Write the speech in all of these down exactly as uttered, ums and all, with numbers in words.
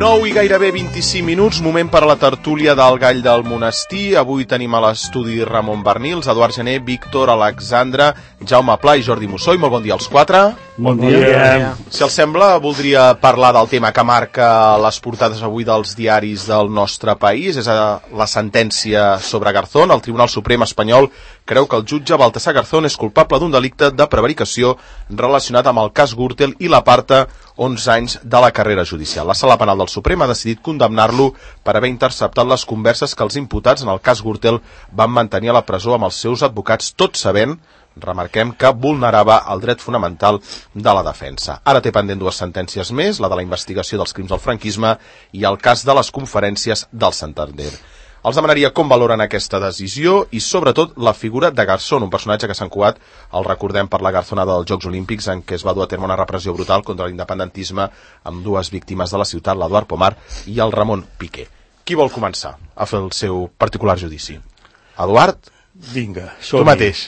nou i gairebé vint-i-cinc minuts, moment per a la tertúlia del Gall del Monestir. Avui tenim a l'estudi Ramon Bernils, Eduard Gené, Víctor, Alexandra, Jaume Pla i Jordi Mussó. I molt bon dia als quatre. Bon dia. Bon dia. Si els sembla, voldria parlar del tema que marca les portades avui dels diaris del nostre país. És la sentència sobre Garzón. El Tribunal Suprem espanyol creu que el jutge Baltasar Garzón és culpable d'un delicte de prevaricació relacionat amb el cas Gürtel i l'aparta onze anys de la carrera judicial. La Sala Penal del Suprem ha decidit condemnar-lo per haver interceptat les converses que els imputats en el cas Gürtel van mantenir a la presó amb els seus advocats, tot sabent, remarquem, que vulnerava el dret fonamental de la defensa. Ara té pendent dues sentències més, la de la investigació dels crims del franquisme i el cas de les conferències del Santander. Els demanaria com valoren aquesta decisió i, sobretot, la figura de Garzón, un personatge que s'ha encuat, el recordem, per la garzonada dels Jocs Olímpics, en què es va dur a terme una repressió brutal contra l'independentisme amb dues víctimes de la ciutat, l'Eduard Pomar i el Ramon Piqué. Qui vol començar a fer el seu particular judici? Eduard? Vinga, som-hi. Tu mateix.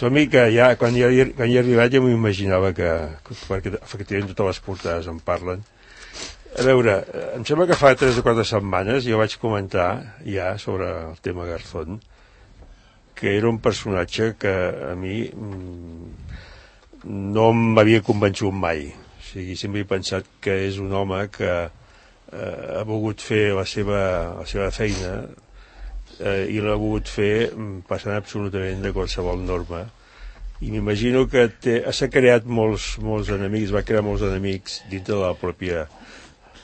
Som-hi, que ja, quan hi he, quan hi he arribat ja m'imaginava que, que, perquè efectivament totes les portades en parlen. A veure, em sembla que fa tres o quatre setmanes jo vaig comentar ja sobre el tema Garzón, que era un personatge que a mi no m'havia convençut mai. O sigui, sempre he pensat que és un home que eh, ha volgut fer la seva, la seva feina eh, i l'ha volgut fer passant absolutament de qualsevol norma. I m'imagino que té, s'ha creat molts, molts enemics, va crear molts enemics dintre de la pròpia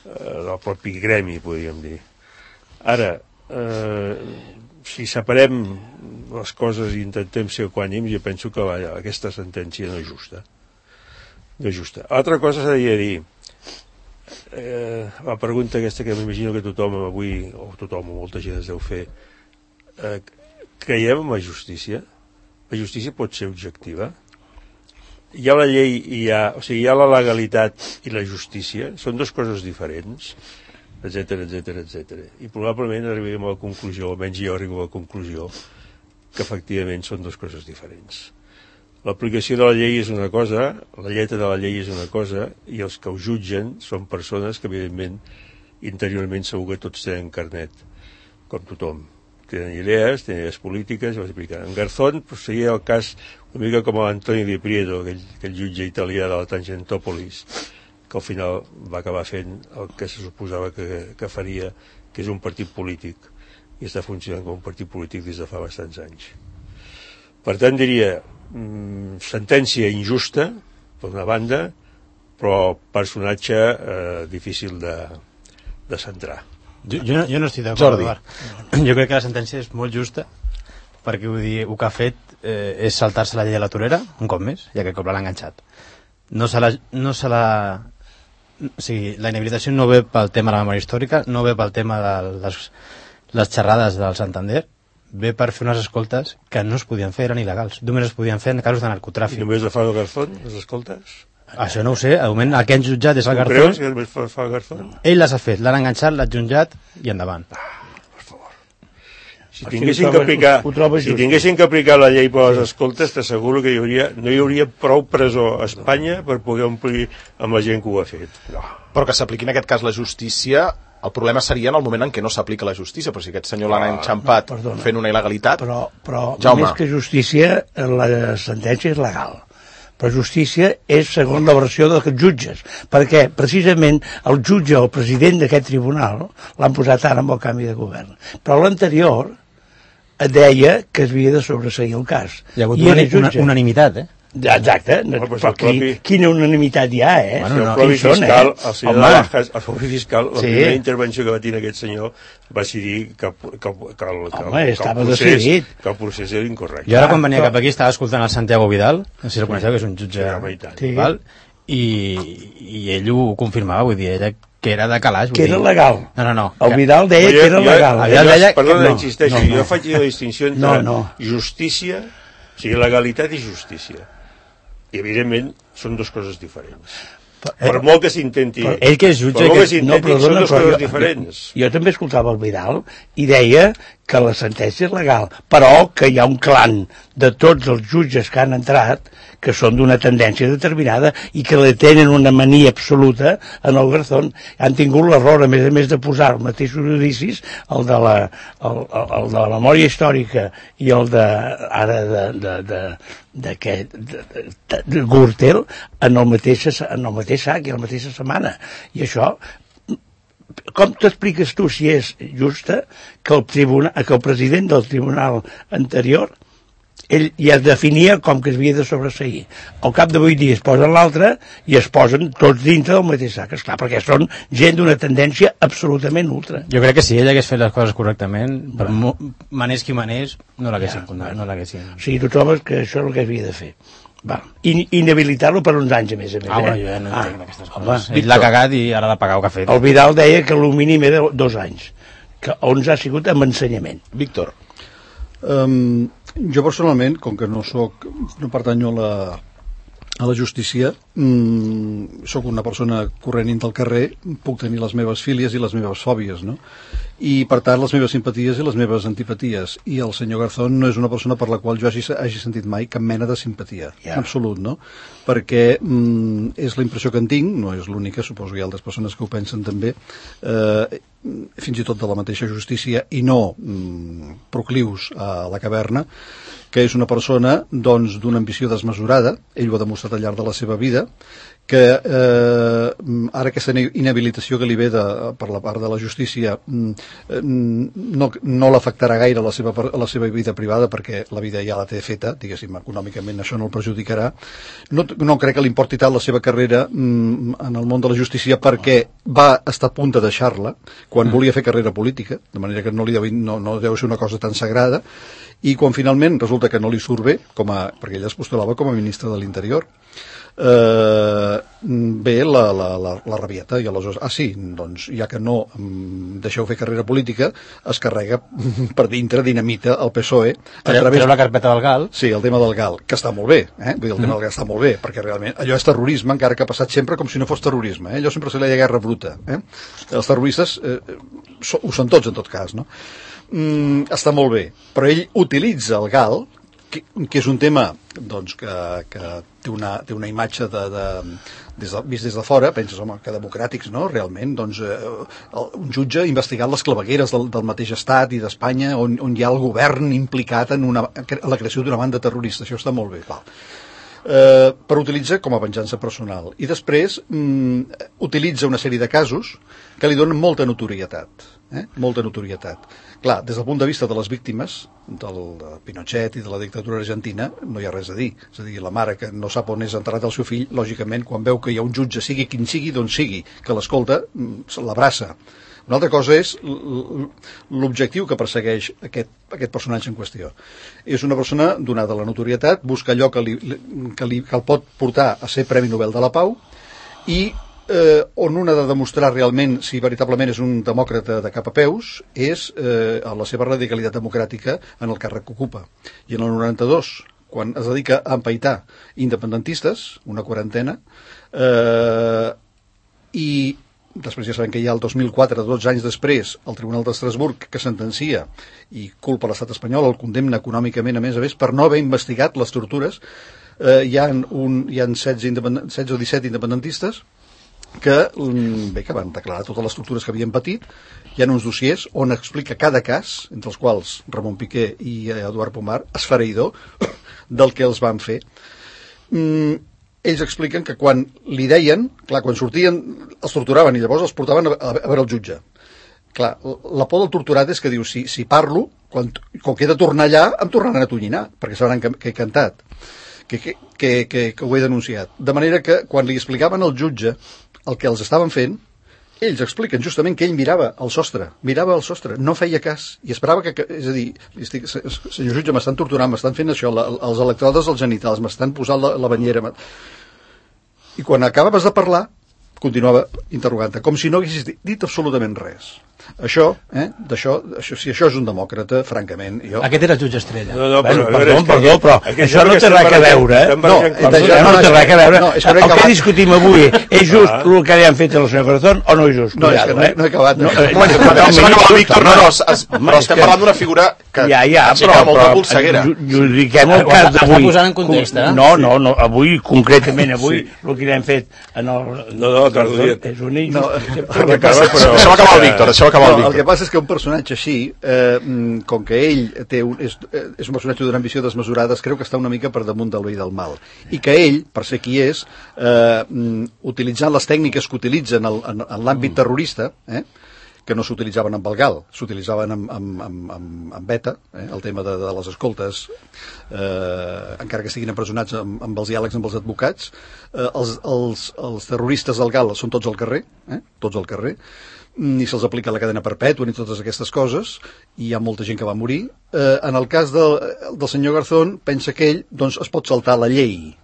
del propi gremi, podríem dir. Ara, eh, si separem les coses i intentem ser equànims, jo penso que la, aquesta sentència no és justa. No és justa. Altra cosa s'ha de dir, eh, la pregunta aquesta que m'imagino que tothom avui, o tothom o molta gent es deu fer, eh, creiem en la justícia? La justícia pot ser objectiva? Hi ha la llei i hi ha, o sigui, hi ha la legalitat i la justícia, són dues coses diferents, etcètera, etcètera, etcètera. I probablement arribarem a la conclusió, almenys jo arribo a la conclusió, que efectivament són dues coses diferents. L'aplicació de la llei és una cosa, la lletra de la llei és una cosa, i els que ho jutgen són persones que, evidentment, interiorment segur que tots tenen carnet, com tothom. Tenen idees, tenen idees polítiques, i les apliquen. En Garzón pues, seria el cas una mica com l'Antonio Di Prieto, aquell, aquell jutge italià de la Tangentòpolis, que al final va acabar fent el que se suposava que, que faria, que és un partit polític, i està funcionant com un partit polític des de fa bastants anys. Per tant, diria, mmm, sentència injusta, per una banda, però personatge eh, difícil de, de centrar. Jo, jo, no, jo no estic d'acord, Eduard. Jo crec que la sentència és molt justa, perquè vull dir, el que ha fet eh, és saltar-se la llei de la torera, un cop més, ja que el cop l'ha enganxat. No se la... No se la o sigui, la inhabilitació no ve pel tema de la memòria històrica, no ve pel tema de les, les xerrades del Santander, ve per fer unes escoltes que no es podien fer, eren il·legals. Només es podien fer en casos de narcotràfic. I només la fa el Garzón, les escoltes? Això no ho sé, de moment el que han jutjat és el Garzón. Creus que només fa el Garzón? Ell les ha fet, l'han enganxat, l'ha jutjat i endavant. Ah, per favor. Si tinguessin que aplicar, si tinguessin que aplicar la llei per les escoltes, t'asseguro que hi hauria, no hi hauria prou presó a Espanya per poder omplir amb la gent que ho ha fet. No. Però que s'apliqui en aquest cas la justícia, el problema seria en el moment en què no s'aplica la justícia, però si aquest senyor l'ha enxampat no, fent una il·legalitat... Però, però més que justícia, la sentència és legal. Però justícia és segons la versió dels jutges, perquè precisament el jutge o el president d'aquest tribunal l'han posat ara amb el canvi de govern. Però l'anterior deia que es havia de sobreseir el cas. Hi ha hagut una, una unanimitat, eh? Exacte, no, no, però qui, propi... quina unanimitat hi ha, eh? Bueno, no, el propi fiscal, eh? el senyor Navajas, el propi fiscal, la sí. primera intervenció que va tenir aquest senyor va decidir que, que, que, que, el, que, Home, que, el procés, que el procés era incorrecte. Jo ara quan venia cap aquí estava escoltant el Santiago Vidal, no sé si el coneixeu, que és un jutge sí. val, i, i ell ho confirmava, vull dir, ella que era de calaix. Que era legal. No, no, no. El Vidal deia jo, que era jo, legal. Jo, Vidal deia perdona, no, insisteixo, no, no. jo faig la distinció entre no, no. justícia, o sigui, legalitat i justícia. I, evidentment, són dues coses diferents. Per molt que s'intenti. Ell que és jutge... Per molt que que... s'intenti, no, però són dona, dues però coses jo- diferents. Jo, jo també escoltava el Vidal i deia que la sentència és legal, però que hi ha un clan de tots els jutges que han entrat que són d'una tendència determinada i que le tenen una mania absoluta en el Garzón. Han tingut l'error, a més a més de posar els mateixos judicis, el de la, el, el, el de la memòria històrica i el de, ara de, de, de, d'aquest de, de, de, de Gürtel en el mateix, en el mateix sac i en la mateixa setmana. I això, com t'expliques tu si és justa que el, tribunal, que el president del tribunal anterior ell ja definia com que es havia de sobreseir. Al cap de vuit dies posen l'altre i es posen tots dintre del mateix sac, esclar, perquè són gent d'una tendència absolutament ultra. Jo crec que si ell hagués fet les coses correctament, per mo- manés qui manés, no l'haguessin Ja, condemnat, no l'haguessin... O sigui, tu trobes que això és el que havia de fer. Va. In, inhabilitar-lo per uns anys, a més a més. Ah, bueno, eh? jo ja no Ah, entenc aquestes home, coses. Ell l'ha cagat i ara ha de pagar el que ha fet. el Vidal deia que el mínim era dos anys, que onze ha sigut amb ensenyament. Víctor. Um, jo personalment, com que no soc, no pertanyo a la, a la justícia, mm, sóc una persona corrent del carrer, puc tenir les meves fílies i les meves fòbies, no? I per tant les meves simpaties i les meves antipaties, i el senyor Garzón no és una persona per la qual jo hagi, hagi sentit mai cap mena de simpatia, Ja. en absolut, no? Perquè mm, és la impressió que en tinc, no és l'única, suposo que hi ha altres persones que ho pensen també, eh, fins i tot de la mateixa justícia i no mm, proclius a la caverna, que és una persona doncs d'una ambició desmesurada, ell ho ha demostrat al llarg de la seva vida, que eh, ara aquesta inhabilitació que li ve de, per la part de la justícia no, no l'afectarà gaire a la, seva, a la seva vida privada, perquè la vida ja la té feta, diguéssim, econòmicament això no el perjudicarà. No, no crec que li importi tant la seva carrera mm, en el món de la justícia, perquè va estar a punt de deixar-la quan volia fer carrera política, de manera que no, li deu, no, no deu ser una cosa tan sagrada, i quan finalment resulta que no li surt bé, com a, perquè ella es postulava com a ministre de l'Interior, eh, ve la, la, la, la rabieta i aleshores, ah sí, doncs ja que no em deixeu fer carrera política, es carrega per dintre, dinamita el P S O E a Treu, través... treu la carpeta del Gal. Sí, el tema del Gal, que està molt bé, eh? Vull dir, el tema del Gal està molt bé, perquè realment allò és terrorisme, encara que ha passat sempre com si no fos terrorisme, eh? Allò sempre se li deia guerra bruta, eh? Els terroristes eh, so, ho són tots en tot cas, no? Mm, està molt bé, però ell utilitza el Gal, que, que és un tema doncs, que, que té, una, té una imatge de, de, des de, vist des de fora, penses, home, que democràtics, no? Realment, doncs, eh, un jutge ha investigat les clavegueres del, del mateix estat i d'Espanya, on, on hi ha el govern implicat en una, la creació d'una banda terrorista. Això està molt bé, val. Eh, per utilitzar com a venjança personal. I després mm, utilitza una sèrie de casos que li donen molta notorietat. Eh? Molta notorietat. Clar, des del punt de vista de les víctimes del de Pinochet i de la dictadura argentina no hi ha res a dir. És a dir, la mare que no sap on és enterrat el seu fill, lògicament, quan veu que hi ha un jutge, sigui quin sigui, d'on sigui, que l'escolta, l'abraça. Una altra cosa és l'objectiu que persegueix aquest, aquest personatge en qüestió. És una persona donada a la notorietat, busca allò que, li, que, li, que el pot portar a ser Premi Nobel de la Pau i eh, on un ha de demostrar realment si veritablement és un demòcrata de cap a peus és eh, a la seva radicalitat democràtica en el càrrec que ocupa. I en el noranta-dos, quan es dedica a empaitar independentistes, una quarantena, eh, i després ja sabem que hi ha el dos mil quatre, dotze anys després, el Tribunal d'Estrasburg que sentencia i culpa l'estat espanyol, el condemna econòmicament a més a més per no haver investigat les tortures. Eh, hi ha, un, hi ha setze, setze o disset independentistes que, bé, que van declarar totes les tortures que havien patit. Hi ha uns dossiers on explica cada cas, entre els quals Ramon Piqué i Eduard Pomar, esfereïdor del que els van fer. Mm, ells expliquen que quan li deien, clar, quan sortien els torturaven i llavors els portaven a, a veure el jutge. Clar, la por del torturat és que diu, si, si parlo, quan, quan he de tornar allà, em tornaran a tonyinar, perquè sabran que, que he cantat, que, que, que, que, que ho he denunciat. De manera que quan li explicaven al jutge el que els estaven fent, ells expliquen justament que ell mirava al sostre, mirava al sostre, no feia cas, i esperava que, que és a dir, estic, senyor jutge, m'estan torturant, m'estan fent això, la, els electrodes als genitals, m'estan posant la, la banyera, i quan acabaves de parlar, continuava interrogant-te, com si no haguessis dit absolutament res. Això, eh, d'això, això, si això és un demòcrata, francament, jo... Aquest era el jutge Estrella. No, no, però, bueno, perdó, perdó, però això no té res a veure, eh? No, això no té res a veure. El que discutim avui, és just el que li han fet al senyor Corazón o no és just? No, és que no he acabat. No, Víctor, no, no, però estem parlant d'una figura que ja, ja, aixeca molta polseguera. Judiquem el cas d'avui. Està posant en context, eh? No, no, no, avui, concretament avui, el que li han fet en el... No, no, t'ho dit. És un injust. Deixeu acabar el Víctor, deixeu acabar el Víctor. El que passa és que un personatge així, eh, com que ell té un, és, és un personatge d'una ambició desmesurada, creu que està una mica per damunt del bé i del mal. I que ell, per ser qui és, eh, utilitzant les tècniques que utilitzen en, en, en l'àmbit terrorista, eh, que no s'utilitzaven amb el gal, s'utilitzaven amb, amb, amb, amb, amb beta, eh, el tema de, de les escoltes, eh, encara que estiguin empresonats amb, amb els diàlegs amb els advocats, eh, els, els, els terroristes del gal són tots al carrer, eh, tots al carrer, ni se'ls aplica la cadena perpètua ni totes aquestes coses, i hi ha molta gent que va morir. Eh, en el cas del, del senyor Garzón, pensa que ell doncs, es pot saltar la llei,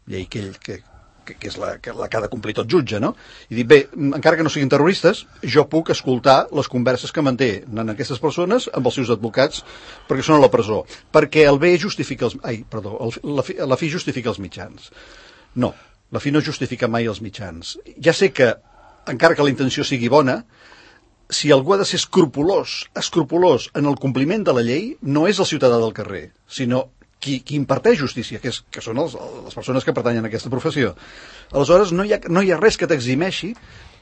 llei que ell... Que, que, que és la que, la que ha de complir tot jutge, no? I dir, bé, encara que no siguin terroristes, jo puc escoltar les converses que mantenen aquestes persones amb els seus advocats perquè són a la presó. Perquè el bé justifica els... Ai, perdó, el, la, fi, la fi justifica els mitjans. No, la fi no justifica mai els mitjans. Ja sé que, encara que la intenció sigui bona, si algú ha de ser escrupolós, escrupolós en el compliment de la llei, no és el ciutadà del carrer, sinó qui, qui imparteix justícia, que, és, que són els, les persones que pertanyen a aquesta professió. Aleshores, no hi ha, no hi ha res que t'eximeixi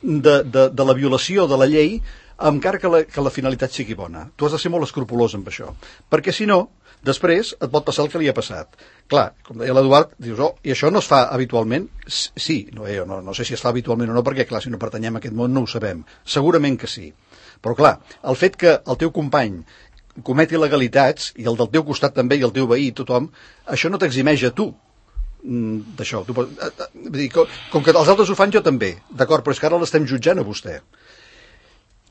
de, de, de la violació de la llei, encara que la, que la finalitat sigui bona. Tu has de ser molt escrupolós amb això, perquè si no, després et pot passar el que li ha passat. Clar, com deia l'Eduard, dius, oh, i això no es fa habitualment? Sí, no, eh, no, no sé si es fa habitualment o no, perquè clar, si no pertanyem a aquest món no ho sabem. Segurament que sí. Però clar, el fet que el teu company cometi il·legalitats, i el del teu costat també, i el teu veí, tothom, això no t'eximeix a tu d'això. Tu, com, com que els altres ho fan, jo també. D'acord, però és que ara l'estem jutjant a vostè.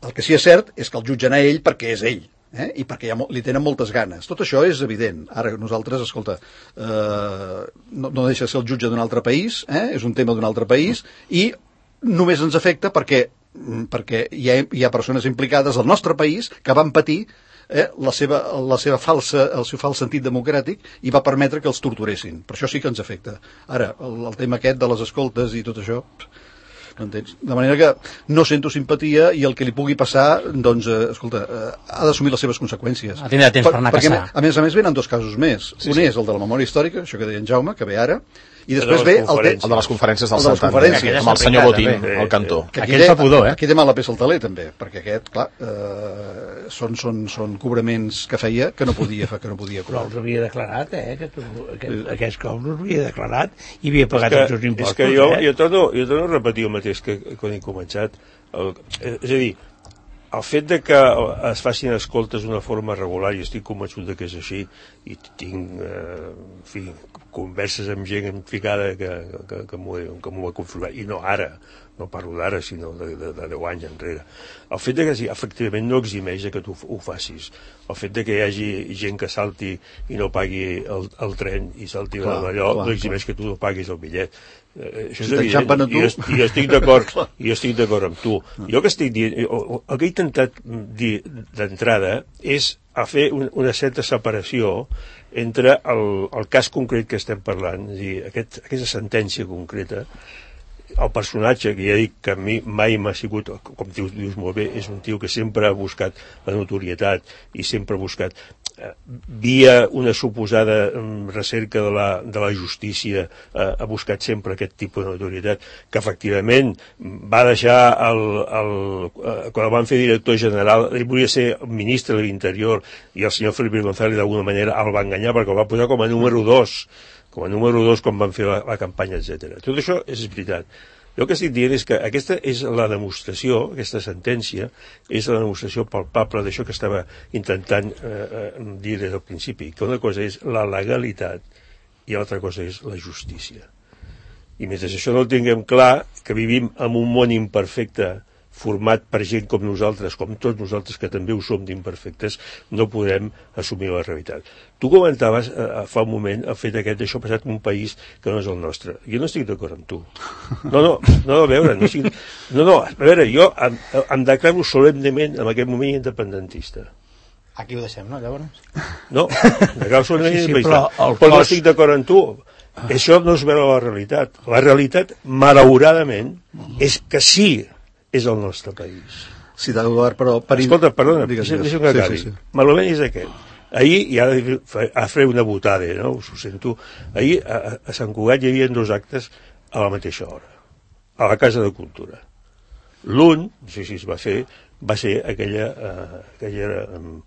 El que sí és cert és que el jutgen a ell perquè és ell. Eh? I perquè ja li tenen moltes ganes. Tot això és evident. Ara nosaltres, escolta, eh, no, no deixa de ser el jutge d'un altre país, eh? És un tema d'un altre país, i només ens afecta perquè, perquè hi ha, hi ha persones implicades al nostre país que van patir eh, la seva, la seva falsa, el seu fals sentit democràtic i va permetre que els torturessin. Per això sí que ens afecta. Ara, el, el tema aquest de les escoltes i tot això... Entens? De manera que no sento simpatia i el que li pugui passar, doncs, eh, escolta, eh, ha d'assumir les seves conseqüències. Ha tindrà temps per, per anar a perquè, caçar. A més a més, venen dos casos més. Sí, Un sí. és el de la memòria històrica, això que deia en Jaume, que ve ara, i després ve el, te... el de les conferències del de les conferències. amb el senyor Botín, al cantó. Que aquí, fa pudor, eh? Aquí té mala peça al taler, també, perquè aquest, clar, eh, són, són, són cobraments que feia que no podia fer, que no podia cobrar. Però els havia declarat, eh? Aquest, aquest, aquests cops els havia declarat i havia pagat que, els seus impostos. És que jo, eh? jo, torno, jo torno a repetir el mateix que quan he començat. El, és a dir, el fet de que es facin escoltes d'una forma regular, i estic convençut de que és així, i tinc, eh, en fi, converses amb gent ficada que, que, que m'ho ha confirmat, i no ara, no parlo d'ara, sinó de, de, de deu anys enrere. El fet de que sí, efectivament no eximeix que tu ho facis. El fet de que hi hagi gent que salti i no pagui el, el tren i salti d'allò, no eximeix clar. Que tu no paguis el bitllet. Eh, això és si evident, i jo, jo estic d'acord i jo estic d'acord amb tu. Jo que estic dient, el que he intentat dir d'entrada és a fer un, una certa separació entre el, el cas concret que estem parlant, és a dir, aquest, aquesta sentència concreta, el personatge, que ja dic que a mi mai m'ha sigut, com dius, dius molt bé, és un tio que sempre ha buscat la notorietat i sempre ha buscat, eh, via una suposada um, recerca de la, de la justícia, eh, ha buscat sempre aquest tipus de notorietat, que efectivament va deixar, el, el, eh, quan el van fer director general, ell volia ser ministre de l'Interior, i el senyor Felipe González d'alguna manera el va enganyar perquè el va posar com a número dos, com a número dos quan van fer la, la campanya, etcètera. Tot això és veritat. Jo el que estic dient és que aquesta és la demostració, aquesta sentència, és la demostració palpable d'això que estava intentant eh, dir des del principi, que una cosa és la legalitat i l'altra cosa és la justícia. I mentre això no ho tinguem clar, que vivim en un món imperfecte format per gent com nosaltres, com tots nosaltres que també ho som d'imperfectes, no podem assumir la realitat. Tu comentaves eh, fa un moment el fet aquest d'això passat en un país que no és el nostre. Jo no estic d'acord amb tu. No, no, no, a veure, no, estic... no, no, a veure, jo em, em declaro solemnement en aquest moment independentista. Aquí ho deixem, no, llavors? No, me declaro solemnement sí, sí, independentista. però, Però no estic d'acord amb tu. Això no es veu a la realitat. La realitat, malauradament, és que sí és el nostre país. Sí, Eduard, però... Per... Escolta, perdona, digues, deixa'm digues. que acabi. Sí, sí, sí. Malament és aquest. Ahir, i ara a fer una votada, no? Us ho sento. Ahir a, a Sant Cugat hi havia dos actes a la mateixa hora, a la Casa de Cultura. L'un, no sé si es va fer, va ser aquella, uh, aquella, um,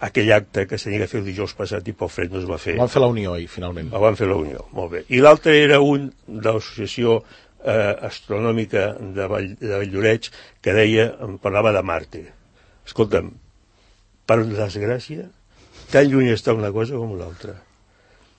aquell acte que s'havia de fer el dijous passat i pel fred no es va fer. Van fer la Unió, i finalment. El van fer la Unió, molt bé. I l'altre era un de l'associació eh, astronòmica de, Vall, de Valldoreix que deia, em parlava de Marte. Escolta'm, per desgràcia, tan lluny està una cosa com l'altra.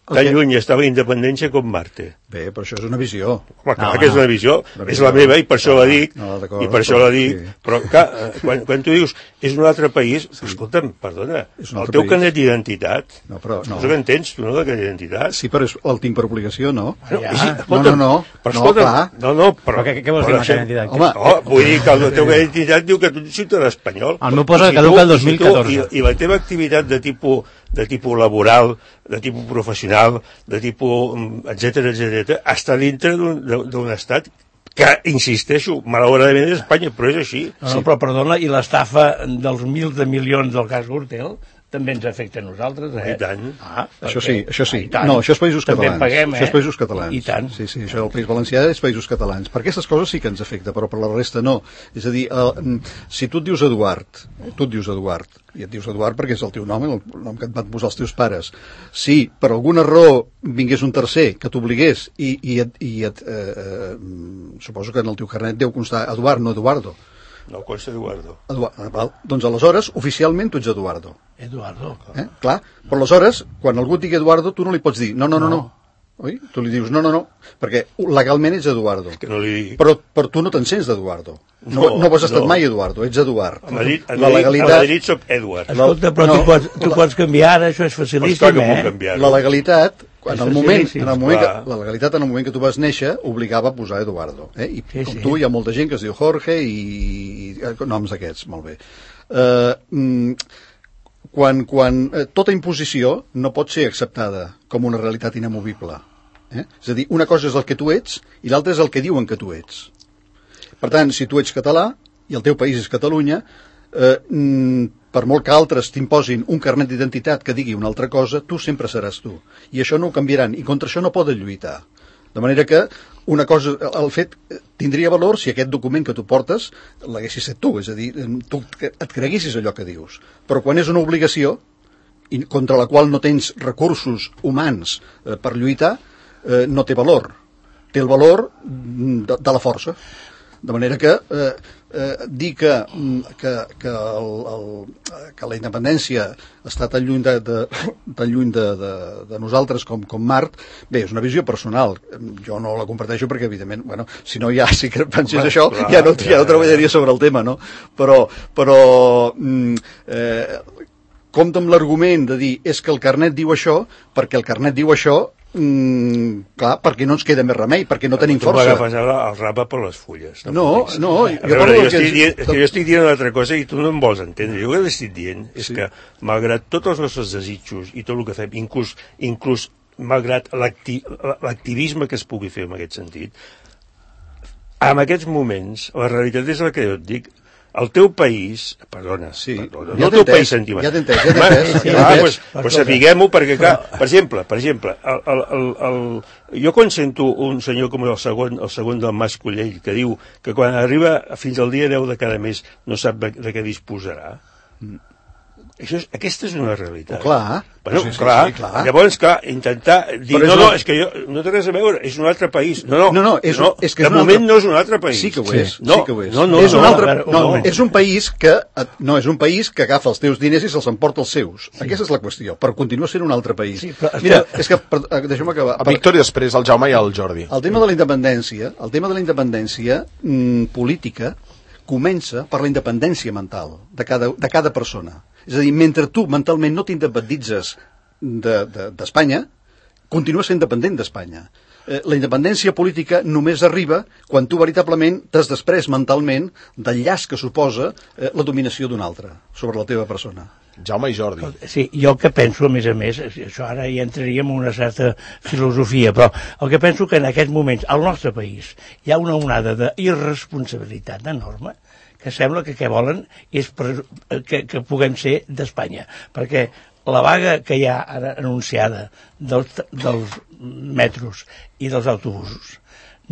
Tan okay. lluny està la independència com Marte. Bé, però això és una visió. Home, clar no, que és una visió, no, és la meva i per això no, la dic, no, i per això la dic, sí. Però clar, quan, quan tu dius és un altre país, sí. Escolta'm, perdona, el teu carnet d'identitat, no, però, no. no que entens, tu no, de carnet d'identitat? Sí, però el tinc per obligació, no? No, ja. sí, no, no, no, però escolta'm, no, no, no, però... però què, què vols dir amb el carnet d'identitat? Home, oh, vull dir que el teu carnet d'identitat diu que tu ets ciutadà espanyol. El meu posa que caduca el dos mil catorze. I, I la teva activitat de tipus, de tipus laboral, de tipus professional, de tipus, etcètera, etcètera, està dintre d'un estat que, insisteixo, malauradament és Espanya, però és així. No, no, però perdona, i l'estafa dels mils de milions del cas Gürtel també ens afecta a nosaltres, eh? I tant. Ah, això sí, això sí. No, això és Països també Catalans. Paguem, eh? Això és Països Catalans. I tant. Sí, sí, això del País Valencià és Països Catalans. Per aquestes coses sí que ens afecta, però per la resta no. És a dir, el, si tu et dius Eduard, tu et dius Eduard, i et dius Eduard perquè és el teu nom, el nom que et van posar els teus pares. Si per alguna raó vingués un tercer que t'obligués i, i, et, i et, eh, eh, suposo que en el teu carnet deu constar Eduard, no Eduardo. No, consta Eduardo. Eduardo. Val. Doncs aleshores, oficialment tu ets Eduardo. Eduardo. Eh? Clar, però aleshores, quan algú et digui Eduardo, tu no li pots dir no, no, no, no. Oi? Tu li dius no, no, no, perquè legalment ets Eduardo. Que no li dic. Però, però tu no te'n sents d'Eduardo. No, no, no has estat no. mai Eduardo, ets Eduard. A Madrid, a la legalitat... a Madrid soc Edward. Escolta, però no, tu, pots, tu pots canviar ara, això és facilíssim, eh? La legalitat, en el moment, en el moment que, la legalitat en el moment que tu vas néixer obligava a posar Eduardo. Eh? I sí, com sí. tu hi ha molta gent que es diu Jorge i, i noms d'aquests, molt bé. Uh, quan, quan eh, tota imposició no pot ser acceptada com una realitat inamovible. Eh? És a dir, una cosa és el que tu ets i l'altra és el que diuen que tu ets. Per tant, si tu ets català i el teu país és Catalunya, eh, per molt que altres t'imposin un carnet d'identitat que digui una altra cosa, tu sempre seràs tu. I això no ho canviaran, i contra això no poden lluitar. De manera que una cosa, el fet tindria valor si aquest document que tu portes l'haguessis set tu, és a dir, tu et creguessis allò que dius. Però quan és una obligació, i contra la qual no tens recursos humans eh, per lluitar, eh, no té valor. Té el valor de, de la força. De manera que eh, eh, dir que, que, que, el, el, que la independència està tan lluny de, de, tan lluny de, de, de nosaltres com, com Mart, bé, és una visió personal. Jo no la comparteixo perquè, evidentment, bueno, si no ja sí que pensés bueno, això, clar, ja, no, ja no treballaria sobre el tema, no? Però, però eh, compta amb l'argument de dir és que el carnet diu això, perquè el carnet diu això, Mm, clar, perquè no ens queda més remei, perquè no tenim força. Tu m'agafes ara el rapa per les fulles. No, no. Jo, veure, jo, estic que... dient, és que jo estic dient una altra cosa i tu no em vols entendre. Jo el que estic dient és sí. que, malgrat tots els nostres desitjos i tot el que fem, inclús, inclús malgrat l'acti l'activisme que es pugui fer en aquest sentit, en aquests moments, la realitat és la que jo et dic, el teu país, perdona, sí. perdona no el teu país sentimental. Ja t'entens, ja t'entens. Sí, ah, pues, pues sapiguem-ho, perquè, clar, per exemple, per exemple el, el, el, el, jo quan sento un senyor com el segon, el segon del Mas Collell, que diu que quan arriba fins al dia deu de cada mes no sap de, de què disposarà, mm. Això és, aquesta és una realitat. Oh, clar. Bueno, sí, sí, clar. Sí, clar. Llavors, clar, intentar dir, no, no, és que jo, no té res a veure, és un altre país. No, no, no, no, és, no és que de és moment altre... no és un altre país. Sí que ho és, no, sí que ho és. No, no, és un no, altre, no, no, no, és un país que, no, és un país que agafa els teus diners i se'ls emporta els seus. Sí. Aquesta és la qüestió, però continua sent un altre país. Sí, però, Mira, és que, deixa'm acabar. A Víctor i després el Jaume i el Jordi. El tema de la independència, el tema de la independència mm, política, comença per la independència mental de cada, de cada persona. És a dir, mentre tu mentalment no t'independitzes d'Espanya, de, continues sent independent d'Espanya. Eh, la independència política només arriba quan tu veritablement t'has després mentalment del llaç que suposa eh, la dominació d'un altre sobre la teva persona. Jaume i Jordi. Sí, jo el que penso, a més a més, això ara ja entraríem en una certa filosofia, però el que penso que en aquests moments al nostre país hi ha una onada d'irresponsabilitat enorme que sembla que què volen és per, que, que puguem ser d'Espanya, perquè la vaga que hi ha ara anunciada dels, dels metros i dels autobusos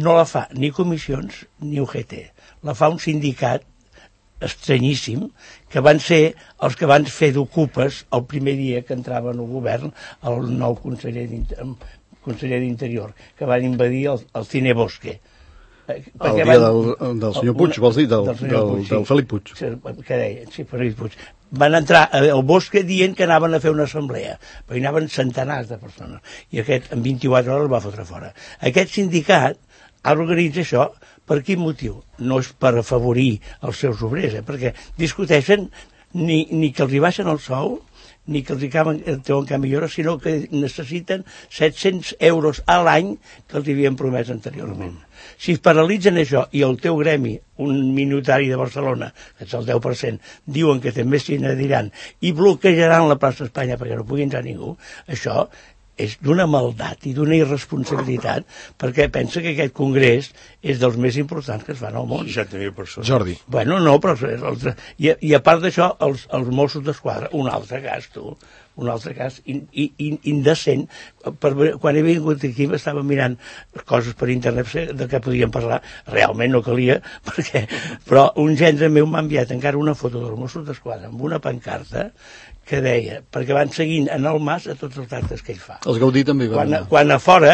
no la fa ni comissions ni U G T, la fa un sindicat estranyíssim, que van ser els que van fer d'ocupes el primer dia que entrava en el govern el nou conseller d'Interior, que van invadir el, el Cine Bosque. El dia van, del, del senyor Puig, vols dir? Del, del, del, Puig, del sí. Felip Puig. Que deia, sí, Felip Puig. Van entrar al Bosque dient que anaven a fer una assemblea, però hi anaven centenars de persones, i aquest en vint-i-quatre hores el va fotre fora. Aquest sindicat ara organitza això. Per quin motiu? No és per afavorir els seus obrers, eh? Perquè discuteixen ni, ni que els hi baixen el sou, ni que els hi caben, treuen cap millora, sinó que necessiten set-cents euros a l'any que els havien promès anteriorment. Si es paralitzen això i el teu gremi, un minutari de Barcelona, que és el deu per cent, diuen que també s'hi n'adiran i bloquejaran la plaça d'Espanya perquè no pugui entrar ningú, això és d'una maldat i d'una irresponsabilitat, perquè pensa que aquest congrés és dels més importants que es fan al món. seixanta mil persones. Jordi. Bueno, no, però... I, i a part d'això, els, els Mossos d'Esquadra, un altre cas, tu, un altre cas in, in, indecent. Per, quan he vingut aquí m'estava mirant coses per internet de què podíem parlar, realment no calia, perquè, però un gendre meu m'ha enviat encara una foto dels Mossos d'Esquadra amb una pancarta que deia, perquè van seguint en el Mas a tots els actes que ell fa. Els Gaudí també van quan, quan a fora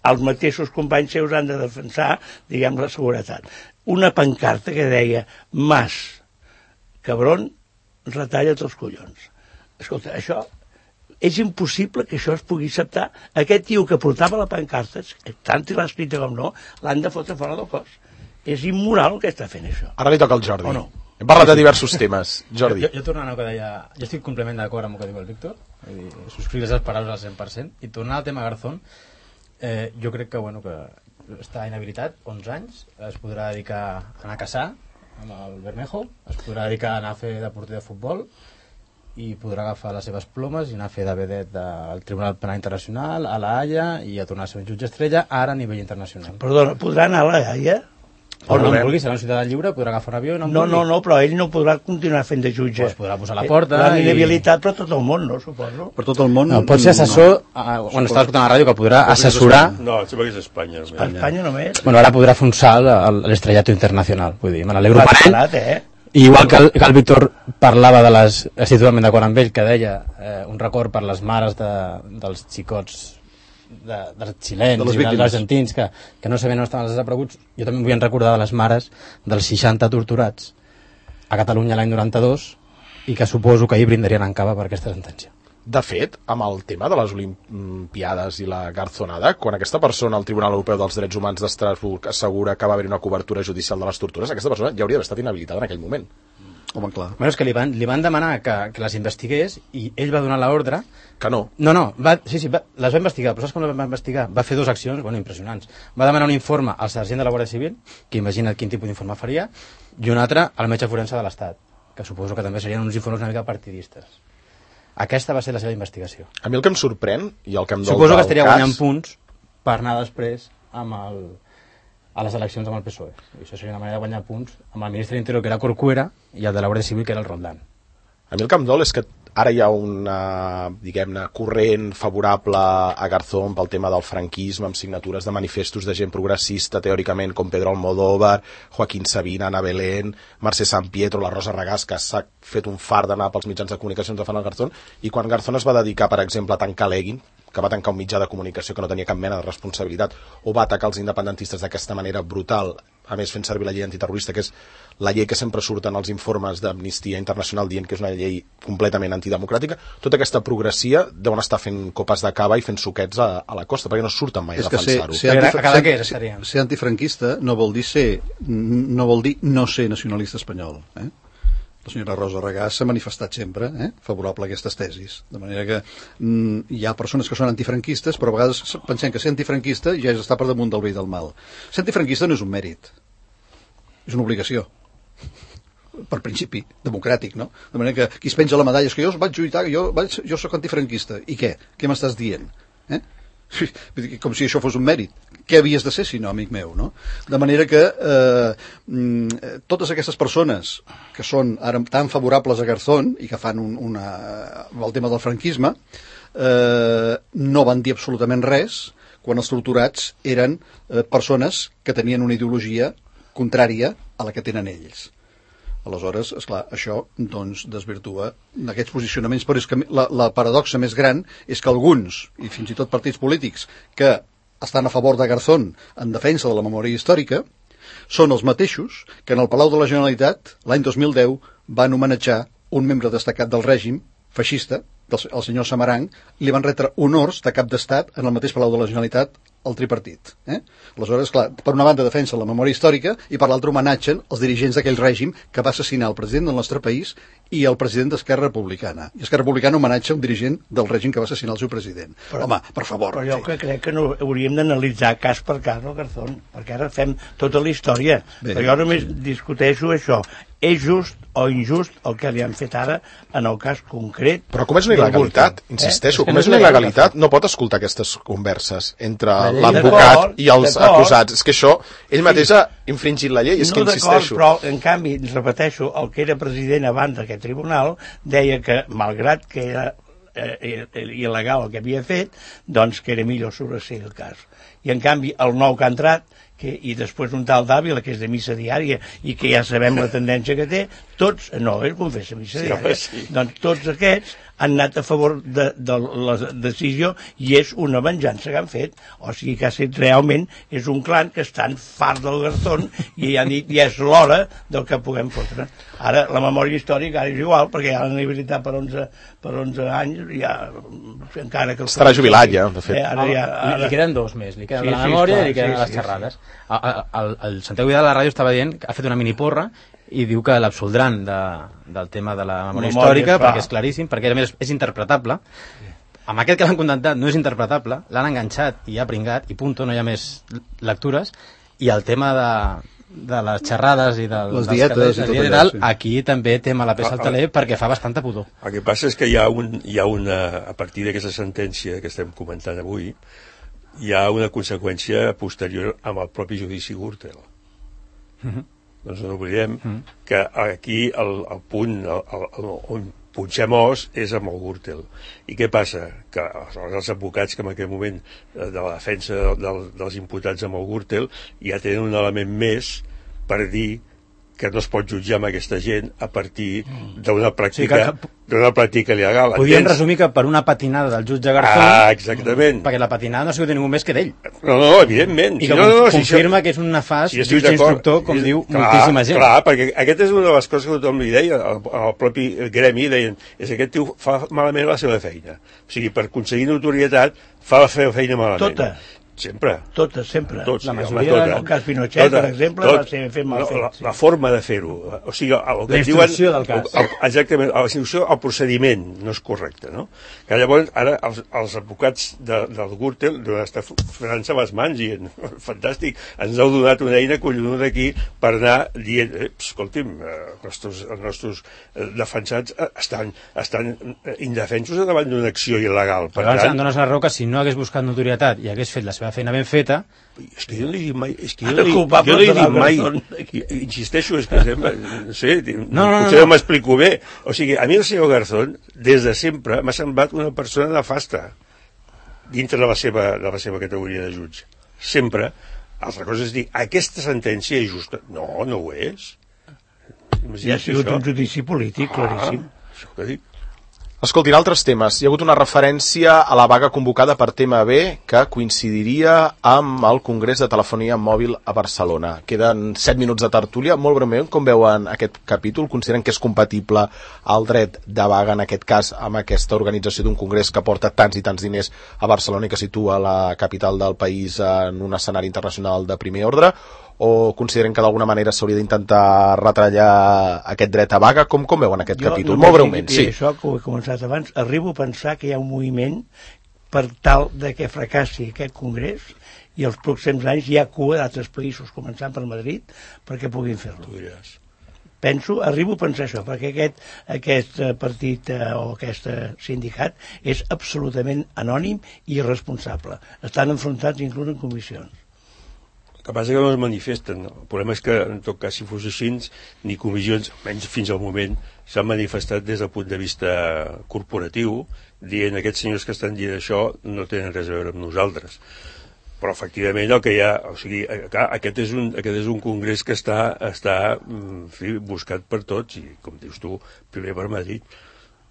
els mateixos companys seus han de defensar, diguem, la seguretat. Una pancarta que deia Mas, cabron, retalla't els collons. Escolta, això és impossible que això es pugui acceptar. Aquest tio que portava la pancarta, tant si l'ha escrita com no, l'han de fotre fora del cos. És immoral que està fent això. Ara li toca al Jordi. O no? Hem parlat de diversos temes. Jordi. Jo, jo tornant al que deia... Jo estic completament d'acord amb el que diu el Víctor, subscriure les paraules al cent per cent, i tornant al tema Garzón, eh, jo crec que, bueno, que està inhabilitat, onze anys, es podrà dedicar a anar a caçar amb el Bermejo, es podrà dedicar a anar a fer de porter de futbol, i podrà agafar les seves plomes i anar a fer de vedet al Tribunal Penal Internacional, a la Haia, i a tornar a ser un jutge estrella, ara a nivell internacional. Perdona, podrà anar a la Haia? O no en vulgui, serà un ciutadà lliure, podrà agafar un avió i no en No, vulgui. no, no, però ell no podrà continuar fent de jutge. Pues podrà posar a la porta. L'han i- inhabilitat per tot el món, no, suposo? Per tot el món... No, pot ser assessor, no. Quan estava escoltant la ràdio, que podrà assessorar... No, em sembla que és Espanya. A Espanya. Espanya només. Bueno, ara podrà fer un salt a l'estrellato internacional, vull dir, me n'alegro per ell. Barat, eh? I igual que el, que el Víctor parlava de les... Estic totalment d'acord amb ell, que deia eh, un record per les mares de, dels xicots de, dels xilens De les i dels víctimes. argentins que, que no sabien on estaven els desapareguts. Jo també vull recordar de les mares dels seixanta torturats a Catalunya l'any noranta-dos i que suposo que ahir brindarien en cava per aquesta sentència. De fet, amb el tema de les Olimpiades i la garzonada, quan aquesta persona al Tribunal Europeu dels Drets Humans d'Estrasburg assegura que va haver una cobertura judicial de les tortures, aquesta persona ja hauria d'haver estat inhabilitada en aquell moment. Home, clar. Bueno, és que li van, li van demanar que, que les investigués i ell va donar l'ordre. Que no. No, no, va, sí, sí, va, les va investigar, però saps com les va investigar? Va fer dues accions, bueno, impressionants. Va demanar un informe al sergent de la Guàrdia Civil, que imagina't quin tipus d'informe faria, i un altre al metge forense de l'Estat, que suposo que també serien uns informes una mica partidistes. Aquesta va ser la seva investigació. A mi el que em sorprèn, i el que em dol Suposo que del estaria cas... guanyant punts per anar després amb el, a les eleccions amb el P S O E. I això seria una manera de guanyar punts amb el ministre d'Interior, que era Corcuera, i el de la Guàrdia Civil, que era el Roldán. A mi el que em dol és que ara hi ha una, diguem-ne, corrent favorable a Garzón pel tema del franquisme, amb signatures de manifestos de gent progressista, teòricament, com Pedro Almodóvar, Joaquín Sabina, Ana Belén, Mercè Sampietro, la Rosa Regàs, que s'ha fet un far d'anar pels mitjans de comunicació de fan el Garzón, i quan Garzón es va dedicar, per exemple, a tancar l'Egin, que va tancar un mitjà de comunicació que no tenia cap mena de responsabilitat, o va atacar els independentistes d'aquesta manera brutal, a més fent servir la llei antiterrorista, que és la llei que sempre surten els informes d'Amnistia Internacional dient que és una llei completament antidemocràtica. Tota aquesta progressia deuen estar fent copes de cava i fent suquets a, a la costa, perquè no surten mai a defensar-ho. Ser, ser, antifra ser, ser antifranquista no vol dir ser, no vol dir no ser nacionalista espanyol, eh? La senyora Rosa Regàs s'ha manifestat sempre eh, favorable a aquestes tesis. De manera que mm, hi ha persones que són antifranquistes, però a vegades pensem que ser antifranquista ja és estar per damunt del bé i del mal. Ser antifranquista no és un mèrit, és una obligació. Per principi democràtic, no? De manera que qui es penja la medalla és que jo vaig lluitar, jo, vaig, jo soc antifranquista. I què? Què m'estàs dient? Eh? Com si això fos un mèrit. Què havies de ser si no, amic meu, no? De manera que eh, totes aquestes persones que són ara tan favorables a Garzón i que fan un, una, el tema del franquisme eh, no van dir absolutament res quan els torturats eren eh, persones que tenien una ideologia contrària a la que tenen ells. Aleshores, esclar, això doncs, desvirtua aquests posicionaments, però és que la, la paradoxa més gran és que alguns, i fins i tot partits polítics, que estan a favor de Garzón en defensa de la memòria històrica, són els mateixos que en el Palau de la Generalitat, l'any dos mil deu, van homenatjar un membre destacat del règim feixista, el senyor Samaranch, i li van retre honors de cap d'estat en el mateix Palau de la Generalitat el tripartit. Eh? Aleshores, clar, per una banda defensa la memòria històrica i per l'altra homenatgen els dirigents d'aquell règim que va assassinar el president del nostre país i el president d'Esquerra Republicana. I Esquerra Republicana homenatja un dirigent del règim que va assassinar el seu president. Però, home, per favor. Però jo sí. que crec que no hauríem d'analitzar cas per cas el Garzón, perquè ara fem tota la història. Bé, però jo només sí. discuteixo això. És just o injust el que li han fet ara en el cas concret. Però com és una il·legalitat, insisteixo, eh? com és una il·legalitat, no pot escoltar aquestes converses entre l'advocat i els acusats. És que això, ell mateix ha infringit la llei, és no, que insisteixo. Però, en canvi, repeteixo, el que era president abans d'aquest tribunal deia que, malgrat que era eh, il·legal el que havia fet, doncs que era millor sobreser el cas. I en canvi, el nou que ha entrat, que, i després un tal d'Àvila, que és de missa diària i que ja sabem la tendència que té, tots, no, ell confessa missa sí, diària, sí. doncs tots aquests han anat a favor de, de la decisió i és una venjança que han fet. O sigui que ha estat realment, és un clan que estan fart del Garzón i han dit, ja és l'hora del que puguem fotre. Ara, la memòria històrica ara és igual, perquè ja l'han habilitat per onze, per onze anys, ja, encara que... Estarà jubilat ja, de fet. Eh, ara, ja, ara... Li queden dos més, li queden sí, la memòria sí, i li queden sí, les xerrades. Sí, sí. El, el, el Santiago Vidal a la ràdio estava dient que ha fet una mini porra i diu que l'absoldran de, del tema de la memòria, memòria històrica, clar. Perquè és claríssim, perquè a més és interpretable. Sí. Amb aquest que l'han condemnat no és interpretable, l'han enganxat i ha pringat, i punto, no hi ha més lectures, i el tema de, de les xerrades i del, les dietes dels i tot allà, allà, sí. Aquí també té mala peça al taler perquè fa bastanta pudor. El que passa és que hi ha, un, hi ha una, a partir d'aquesta sentència que estem comentant avui, hi ha una conseqüència posterior amb el propi judici Gürtel. Mm-hmm. Doncs no oblidem mm. que aquí el, el punt el, el, el, on punxem os és amb el Gürtel. I què passa? Que els, els advocats que en aquell moment de la defensa de, de, dels imputats amb el Gürtel ja tenen un element més per dir que no es pot jutjar amb aquesta gent a partir d'una pràctica, sí, d'una pràctica legal. Podríem resumir que per una patinada del jutge Garzón, ah, exactament. Perquè la patinada no ha sigut ningú més que d'ell. No, no, evidentment. I que si no, no, confirma si que és un nefast si jutge instructor, com si, diu clar, moltíssima gent. Clar, perquè aquesta és una de les coses que tothom li deia, el, el propi gremi deien, és que aquest tio fa malament la seva feina. O sigui, per aconseguir notorietat, fa la seva feina malament. Tota. Sempre. Totes, sempre. Tots, la majoria, tota. En el cas Pinochet, tota, per exemple, tot, va ser fet mal fet. La, sí. la forma de fer-ho. O sigui, el que la instrucció diuen, del cas. El, exactament, la instrucció, el procediment no és correcte, no? Que llavors, ara, els, els advocats de, del Gürtel deuen estar frenant-se les mans i fantàstic, ens heu donat una eina collonuda aquí per anar dient, eh, escolti'm, eh, els nostres, els nostres defensats estan, estan indefensos davant d'una acció il·legal. Per Però tant, em dones la raó que si no hagués buscat notorietat i hagués fet la seva feina ben feta, és que jo no li dic mai, és que jo no li, jo no li dic mai, insisteixo, és que sembla, no sé, no, no, no, potser no m'explico bé. O sigui, a mi el senyor Garzón, des de sempre, m'ha semblat una persona nefasta dintre de la seva, de la seva categoria de jutge. Sempre. Altra cosa és dir, aquesta sentència és justa. No, no ho és. Ja ha sigut això. Un judici polític, claríssim. Ah, això que dic. Escoltin, altres temes. Hi ha hagut una referència a la vaga convocada per T M B que coincidiria amb el Congrés de Telefonia Mòbil a Barcelona. Queden set minuts de tertúlia. Molt breument, com veuen aquest capítol? Consideren que és compatible el dret de vaga, en aquest cas, amb aquesta organització d'un congrés que porta tants i tants diners a Barcelona i que situa la capital del país en un escenari internacional de primer ordre? O consideren que d'alguna manera s'hauria d'intentar retallar aquest dret a vaga? Com, com veuen aquest jo, capítol? Molt breument, sí. Això que ho he començat abans, arribo a pensar que hi ha un moviment per tal de que fracassi aquest congrés i els pròxims anys hi ha cua d'altres països, començant per Madrid, perquè puguin fer-lo. Penso, arribo a pensar això, perquè aquest, aquest partit eh, o aquest sindicat és absolutament anònim i irresponsable. Estan enfrontats inclús en comissions. El que passa que no es manifesten. El problema és que, en tot cas, si fos així, ni comissions, menys fins al moment, s'han manifestat des del punt de vista corporatiu, dient aquests senyors que estan dient això no tenen res a veure amb nosaltres. Però, efectivament, el que hi ha... O sigui, clar, aquest és un, aquest és un congrés que està, està en fi, buscat per tots, i, com dius tu, primer per Madrid.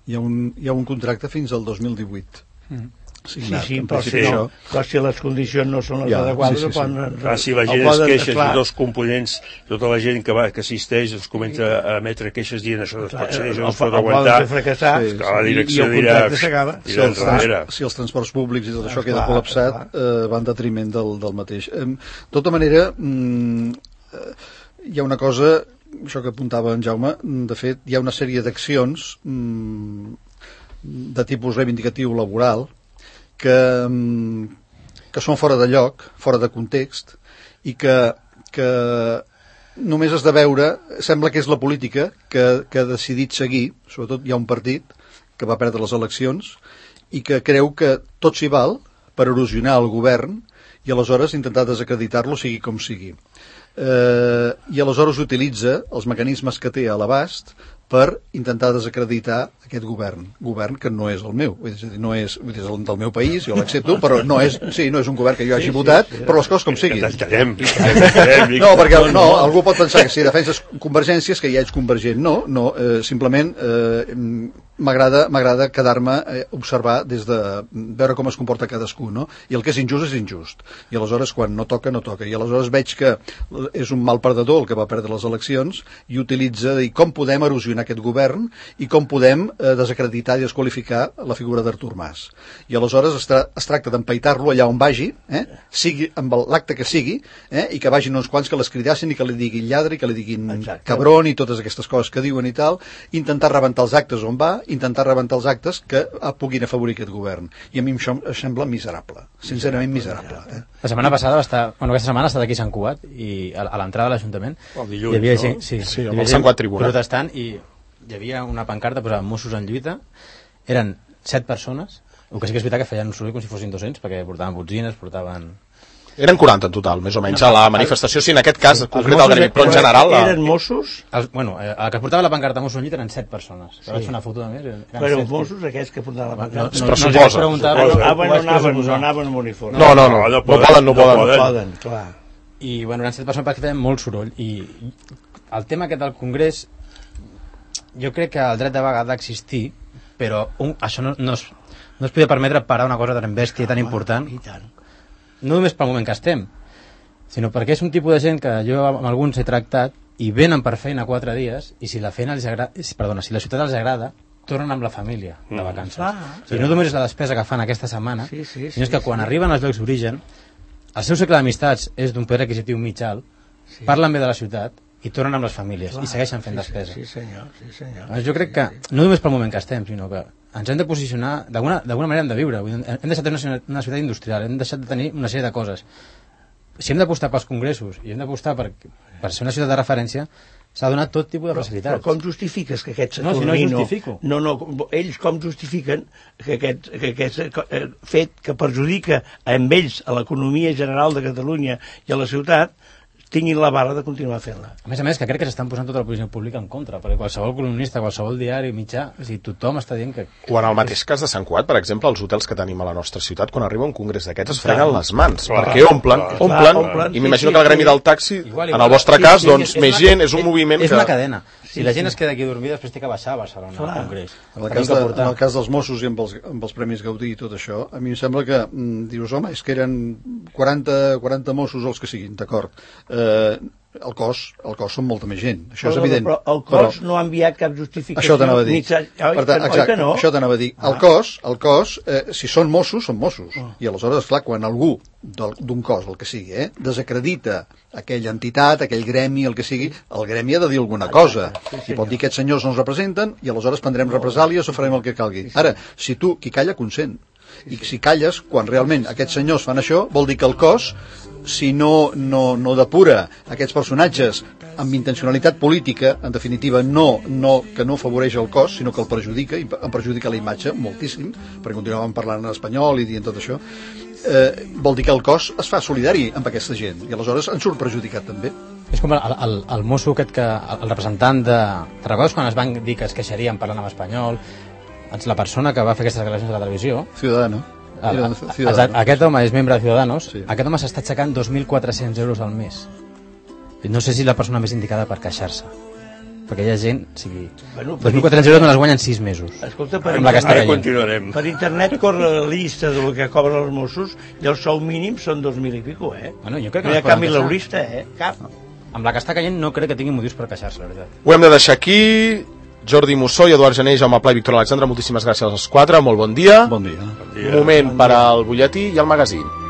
Hi ha un, hi ha un contracte fins al dos mil divuit. Mm. Sí, sí, sí, però, si no, però si les condicions no són les ja, adequades... Sí, sí, sí. Poden, ah, si la gent es queixa, si dos components, tota la gent que, va, que assisteix es comença a emetre queixes dient això no es pot ser, això no es pot aguantar, fracassar, sí, sí. La direcció dirà... Si els, trans, si els transports públics i tot això ah, queda clar, col·lapsat, eh, va en detriment del, del mateix. Eh, de tota manera, mm, eh, hi ha una cosa, això que apuntava en Jaume, de fet, hi ha una sèrie d'accions mm, de tipus reivindicatiu laboral que, que són fora de lloc, fora de context, i que, que només has de veure, sembla que és la política que, que ha decidit seguir, sobretot hi ha un partit que va perdre les eleccions i que creu que tot s'hi val per erosionar el govern i aleshores intentar desacreditar-lo sigui com sigui. Eh, I aleshores utilitza els mecanismes que té a l'abast per intentar desacreditar aquest govern, govern que no és el meu, és a dir, no és, és el del meu país, jo l'accepto, però no és, sí, no és un govern que jo hagi sí, votat, sí, sí, però les coses com siguin. No, perquè no, algú pot pensar que si defenses convergències que ja ets convergent, no, no, eh, simplement eh, m'agrada m'agrada quedar-me a eh, observar des de veure com es comporta cadascú, no? I el que és injust és injust. I aleshores quan no toca, no toca. I aleshores veig que és un mal perdedor el que va perdre les eleccions i utilitza i com podem erosionar aquest govern i com podem eh, desacreditar i desqualificar la figura d'Artur Mas. I aleshores es, tra es tracta d'empaitar-lo allà on vagi, eh? Sigui amb l'acte que sigui, eh? I que vagin uns quants que l'escridassin i que li diguin lladre i que li diguin Exacte. Cabron i totes aquestes coses que diuen i tal, intentar rebentar els actes on va, intentar rebentar els actes que puguin afavorir aquest govern. I a mi això em sembla miserable, sincerament miserable. Eh? La setmana passada va estar, bueno, aquesta setmana ha estat aquí a Sant Cugat i a, a l'entrada de l'Ajuntament hi havia gent, no? sí, sí, amb el Sant Cugat Tribunal protestant i hi havia una pancarta posada Mossos en lluita, eren set persones, el que sí que és veritat que feien un soroll com si fossin dos-cents perquè portaven botzines, portaven... Eren quaranta en total, més o menys, no, a la manifestació, sí, en aquest cas, sí, concret al gremi, però en general... La... Eren Mossos? El, bueno, el que portava la pancarta Mossos en lluita eren set persones. Sí. Vaig fer una foto de més. Però eren Mossos aquests que portaven la pancarta? No, no, no, no, no, no, no, anaven, no anaven amb uniforme. No, no, no, no poden, no poden. No poden, clar. I, bueno, eren set persones perquè feien molt soroll. I el tema aquest del Congrés, jo crec que el dret de vaga ha d'existir, però un, això no, no, es, no es podia permetre parar una cosa tan bèstia, tan important. I tant. No només pel moment que estem, sinó perquè és un tipus de gent que jo amb alguns he tractat i venen per feina quatre dies i si la feina els agrada, perdona, si la ciutat els agrada, tornen amb la família de vacances. Mm. Ah, I no només és la despesa que fan aquesta setmana, sí, sí, sinó sí, que quan sí. arriben als llocs d'origen, el seu cicle d'amistats és d'un poder adquisitiu mig alt, sí. parlen bé de la ciutat i tornen amb les famílies Clar, i segueixen fent sí, despesa. Sí, senyor, sí, senyor. Jo crec que, no només pel moment que estem, sinó que ens hem de posicionar, d'alguna manera hem de viure. Hem deixat de tenir una ciutat industrial, hem deixat de tenir una sèrie de coses. Si hem d'apostar pels congressos i hem d'apostar per, per ser una ciutat de referència, s'ha donat tot tipus de facilitats. Però, però com justifiques que aquest Saturnino... No, si no justifico. No, no, ells com justifiquen que aquest, que aquest fet que perjudica amb ells a l'economia general de Catalunya i a la ciutat tinguin la bala de continuar fent-la. A més a més, que crec que s'estan posant tota la posició pública en contra, perquè qualsevol columnista, qualsevol diari, mitjà, o sigui, tothom està dient que... O en el mateix cas de Sant Cugat, per exemple, els hotels que tenim a la nostra ciutat, quan arriba un congrés d'aquests es freguen les mans, clar, perquè omplen, clar, omplen, clar, omplen, i m'imagino sí, sí, que el gremi del taxi, igual, igual, en el vostre cas, doncs, sí, sí, més gent, és un moviment és que... És una cadena. Si la gent es queda aquí a dormir, després té que baixar a Barcelona, al Congrés. En el, cas de, en el cas dels Mossos i amb els, amb els Premis Gaudí i tot això, a mi em sembla que mm, dius, home, és que eren quaranta, quaranta Mossos els que siguin, d'acord. Eh, el cos, el cos són molta més gent, això però, és evident. Però el cos però, no ha enviat cap justificació. Això t'anava a dir. Mitja... Oi, per tant, exacte, no? això t'anava a dir. El cos, el cos eh, si són Mossos, són Mossos. Oh. I aleshores, clar, quan algú d'un cos, el que sigui, eh, desacredita aquella entitat, aquell gremi, el que sigui, el gremi ha de dir alguna cosa. Sí, I pot dir que aquests senyors no ens representen i aleshores prendrem represàlies o farem el que calgui. Ara, si tu, qui calla, consent. I si calles, quan realment aquests senyors fan això, vol dir que el cos, si no, no, no depura aquests personatges amb intencionalitat política, en definitiva no, no, que no afavoreix el cos, sinó que el perjudica, i en perjudica la imatge moltíssim, perquè continuàvem parlant en espanyol i dient tot això, eh, vol dir que el cos es fa solidari amb aquesta gent, i aleshores en surt perjudicat també. És com el, el, el mosso aquest que, el representant de... Te recordes quan es van dir que es queixarien parlant en espanyol? La persona que va fer aquestes declaracions a la televisió... Ciudadano. El, el, aquest home és membre de Ciudadanos, sí. Aquest home s'està aixecant dos mil quatre-cents euros al mes. No sé si és la persona més indicada per queixar-se, perquè hi ha gent, o sigui, bueno, dos mil quatre-cents euros no les guanyen sis mesos. Escolta, per, amb la que està continuarem. Per internet corre la llista del que cobren els Mossos i el sou mínim són dos mil i pico, eh? Bueno, jo crec que no hi ha cap mileurista, eh? Cap. Amb la que està caient no crec que tingui motius per queixar-se, la veritat. Ho hem de deixar aquí. Jordi Mussó i Eduard Gené, Jaume Pla i Víctor Alexandre, moltíssimes gràcies als quatre, molt bon dia. Bon dia. Bon dia. Moment per al butlletí i al magazín.